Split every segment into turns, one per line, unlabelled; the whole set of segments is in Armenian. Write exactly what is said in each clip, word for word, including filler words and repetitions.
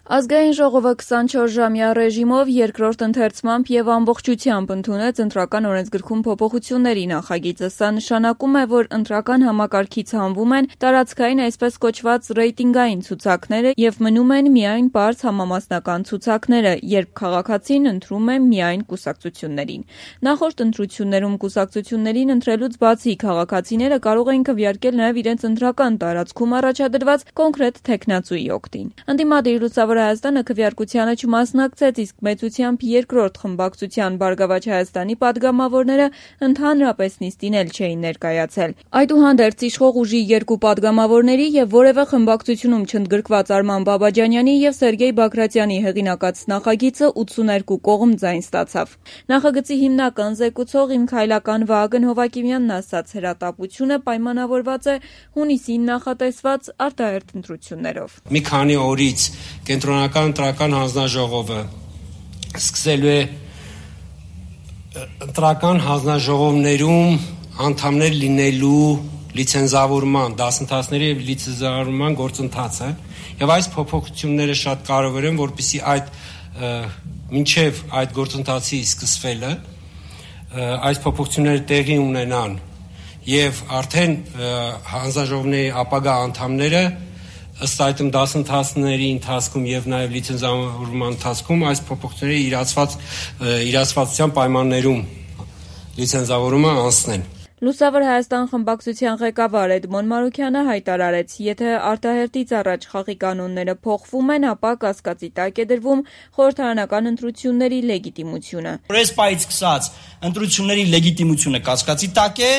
Ազգային ժողովը քսանչորս-ժամյա ռեժիմով երկրորդ ընթերցմամբ եւ ամբողջությամբ ընդունեց ընտրական օրենսգրքում փոփոխությունների նախագիծը։ Սա նշանակում է, որ ընտրական համակարգից հանվում են տարածքային այսպես կոչված ռեյտինգային ցուցակները եւ մնում են միայն բարձ համամասնական ցուցակները, երբ քաղաքացին ընտրում է միայն կուսակցություններին։ Նախորդ ընտրություններում կուսակցություններին ընտրելուց բացի քաղաքացիները կարող էին քվեարկել նաեւ իրենց ընտրական տարածքում առաջադրված կոնկրետ թեկնածուի օգտին։ Ընդդիմադիր Լուսավոր Հայաստանը քվեարկությանը չմասնակցեց, իսկ մեծությամբ երկրորդ խմբակցության Բարգավաճ Հայաստանի падգամավորները ընդհանրապես նիստին էլ չէին ներկայացել։ Այդուհանդերձ իշխող ուժի երկու падգամավորների եւ որևէ խմբակցությունում չընդգրկված Արման Բաբաջանյանի եւ Սերգեյ Բագրատյանի հեղինակած նախագիծը ութսուներկու կողմ ձայն ստացավ։ Նախագծի հիմնական զեկուցող Իմ քայլական Վահագն Հովակիմյանն ասաց, հրատապությունը պայմանավորված է հունիսին նախատեսված արտահերթ ընտրություններով։
Մի քանի օրից Կենտրոնական ընտրական հանձնաժողովը սկսելու է ընտրական հանձնաժողովներում անդամներ լինելու լիցենզավորման, դասընթացների եւ լիցենզավորման գործընթացը եւ այս փոփոխությունները շատ կարեւոր են, որպեսզի այդ մինչեւ այդ գործընթացի սկսվելը այս փոփոխությունները տեղի ունենան եւ արդեն հանձնաժողովների ապագա անդամները ըստ այդմ դասընթացների ընթացքում եւ նաեւ լիցենզավորման ընթացքում այս փոփոխությունները իրացված իրացվածության պայմաններում լիցենզավորումը անցնեն։
Լուսավոր Հայաստան խմբակցության ղեկավար Էդմոն Մարուքյանը հայտարարեց, եթե արտահերթից առաջ խաղի կանոնները փոխվում են, ապա կասկածի տակ է դրվում խորհրդարանական ընտրությունների լեգիտիմությունը։
Ռեսպայից սկսած ընտրությունների լեգիտիմությունը կասկածի տակ է,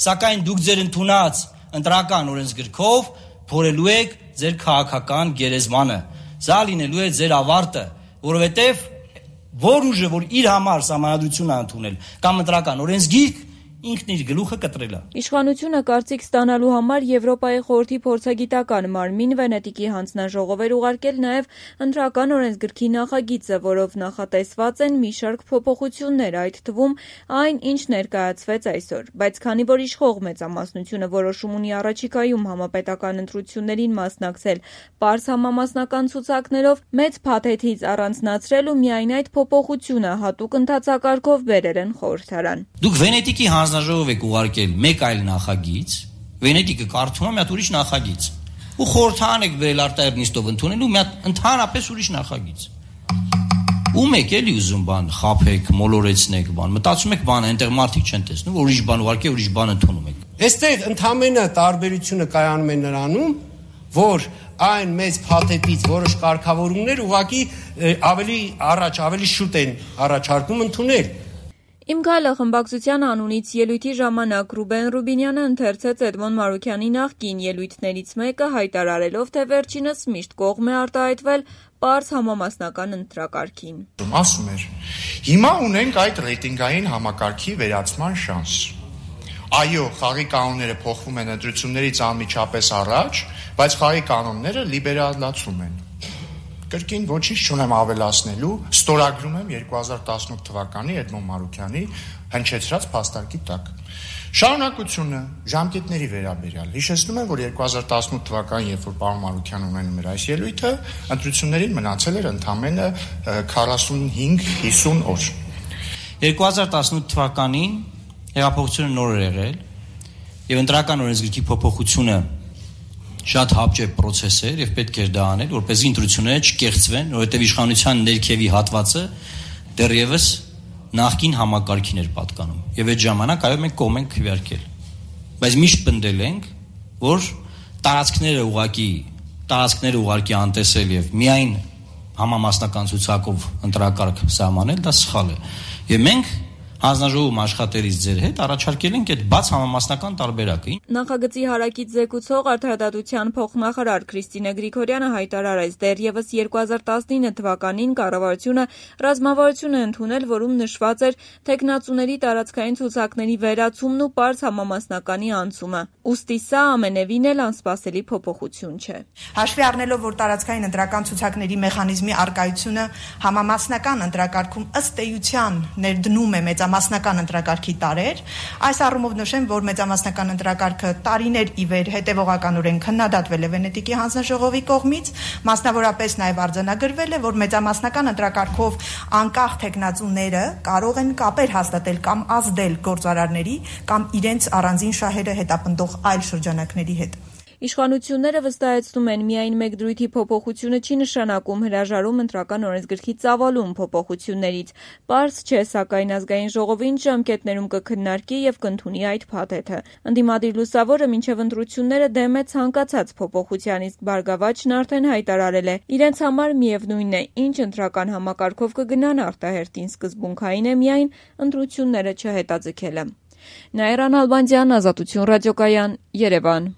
սակայն դուք ձեր ընդունած ընտրական օրենսգրքով փորելու եք ձեր քաղաքական գերեզմանը։ Սա լինելու է ձեր ավարտը, որովհետև որ ուժը, որ իր համար սահմանադրություն է ընդունել կամ ընտրական օրենսգիրք, ինքն իր գլուխը կտրել է։
Իշխանությունը կարծիք ստանալու համար Եվրոպայի խորհրդի փորձագիտական մարմին Վենետիկի հանձնաժողով էր ուղարկել նաև ընտրական օրենսգրքի նախագիծը, որով նախատեսված են մի շարք փոփոխություններ, այդ թվում այն, ինչ ներկայացվեց այսօր։ Բայց քանի որ իշխող մեծամասնությունը որոշում ունի առաջիկայում համապետական ընտրություններին մասնակցել պարզ համամասնական ցուցակներով, մեծ փաթեթից առանձնացրել ու միայն այդ փոփոխությունը հատուկ ընթացակարգով բերել են խորհրդարան։
Դուք Վենետիկի հանձնաժողով եք ուղարկել մեկ այլ նախագիծ, Վենետիկը կարդում է մի հատ ուրիշ նախագիծ, ու խորհրդարան եք բերել արտահերթ նիստով ընդունելու մի հատ ընդհանրապես ուրիշ նախագիծ։ Ում եք էլի ուզում բան խափեք, մոլորեցնեք բան, մտածում եք բանը այնտեղ մարդիկ չեն տեսնում, որ ուրիշ բան ուղարկել, ուրիշ բան ընդունում եք։
Այստեղ ընդհանրապես տարբերությունը կայանում է նրանում, որ այն մեծ փաթեթից որոշ կարգավորումներ ուղղակի ավելի առաջ, ավելի շուտ են առաջարկում ընդունել։
Իմ քայլը խմբակցության անունից ելույթի ժամանակ Ռուբեն Ռուբինյանը ընթերցեց Էդմոն Մարուքյանի նախկին ելույթներից մեկը, հայտարարելով, թե վերջինս միշտ կողմ է արտահայտվել պարզ համամասնական ընտրակարգին։
Ասում էր. հիմա ունենք այդ ռեյտինգային համակարգի վերացման շանս։ Այո, խաղի կանոնները փոխվում են ընտրություններից անմիջապես առաջ, բայց խաղի կանոնները լիբերալացում են։ Կրկին ոչինչ չունեմ ավելացնելու, ստորագրում եմ երկու հազար տասնութ թվականի Էդմոն Մարուքյանի հնչեցրած փաստարկի տակ։ Շարունակությունը ժամկետների վերաբերյալ։ Հիշեցնում եմ, որ երկու հազար տասնութ թվականին, երբ որ պարոն Մարուքյանը ունենում էր այս ելույթը, ընտրություններին մնացել էր ընդամենը քառասունհինգ հիսուն օր։
երկու հազար տասնութ թվականին հեղափոխությունը նոր էր եղել եւ ընտրական օրենսգրքի փոփոխությունը շատ հապճեպ պրոցես էր եւ պետք էր դա անել, որպեսզի ընտրությունները չկեղծվեն, որովհետեւ իշխանության ներքևի հատվածը դեռևս նախկին համակարգին էր պատկանում։ Եվ այդ ժամանակ այո մենք կողմ ենք քվեարկել։ Բայց միշտ պնդել ենք, որ տարածքները ուղակի տարածքները ուղակի անտեսել եւ միայն համամասնական ցուցակով ընտրակարգ սահմանել, դա սխալ է։ Եվ մենք հանձնաժողովում աշխատելիս ձեր հետ առաջարկել ենք այդ բաց համամասնական տարբերակը։
Նախագծի հարակից զեկուցող Արդարադատության փոխնախարար Քրիստինե Գրիգորյանը հայտարարեց, դեռևս երկու հազար տասնինը թվականին կառավարությունը ռազմավարություն է ընդունել, որում նշված էր թեկնածուների տարածքային ցուցակների վերացումն ու պարզ համամասնականի անցումը։ Ուստի սա ամենևին էլ անսպասելի փոփոխություն չէ։
Հաշվի առնելով, որ տարածքային ընտրական ցուցակների մեխանիզմի արկայությունը համամասնական ընտրակարգում ըստ էության ներդնում է մեծ մեծամասնական ընտրակարգի տարր։ Այս առումով նշեմ, որ մեծամասնական ընտրակարգը տարիներ ի վեր հետևողականորեն քննադատվել է Վենետիկի հանձնաժողովի կողմից, մասնավորապես նաև արձանագրվել է, որ մեծամասնական ընտրակարգով անկախ թեկնածուները կարող են կապեր հաստատել կամ ազդել գործարարների կամ իրենց առանձին շահերը հետապնդող այլ շրջանակների հետ։
Իշխանությունները վստահեցնում են, միայն մեկ դրույթի փոփոխությունը չի նշանակում հրաժարում ընտրական օրենսգրքի ծավալուն փոփոխություններից։ Պարզ չէ, սակայն ազգային ժողովը ինչ ժամկետներում կքննարկի եւ կընդունի այդ փաթեթը։ Ընդդիմադիր լուսավորը մինչեւ ընտրությունները դեմ է ցանկացած փոփոխության, իսկ Բարգավաճն արդեն հայտարարել է, իրենց համար միևնույն է, ինչ ընտրական համակարգով կգնան, արտահերտին սկզբունքային է միայն ընտրությունները չհետաձգելը։ Նաիրա Նալբանդյան, Ազատություն ռադիոկայան, Երևան։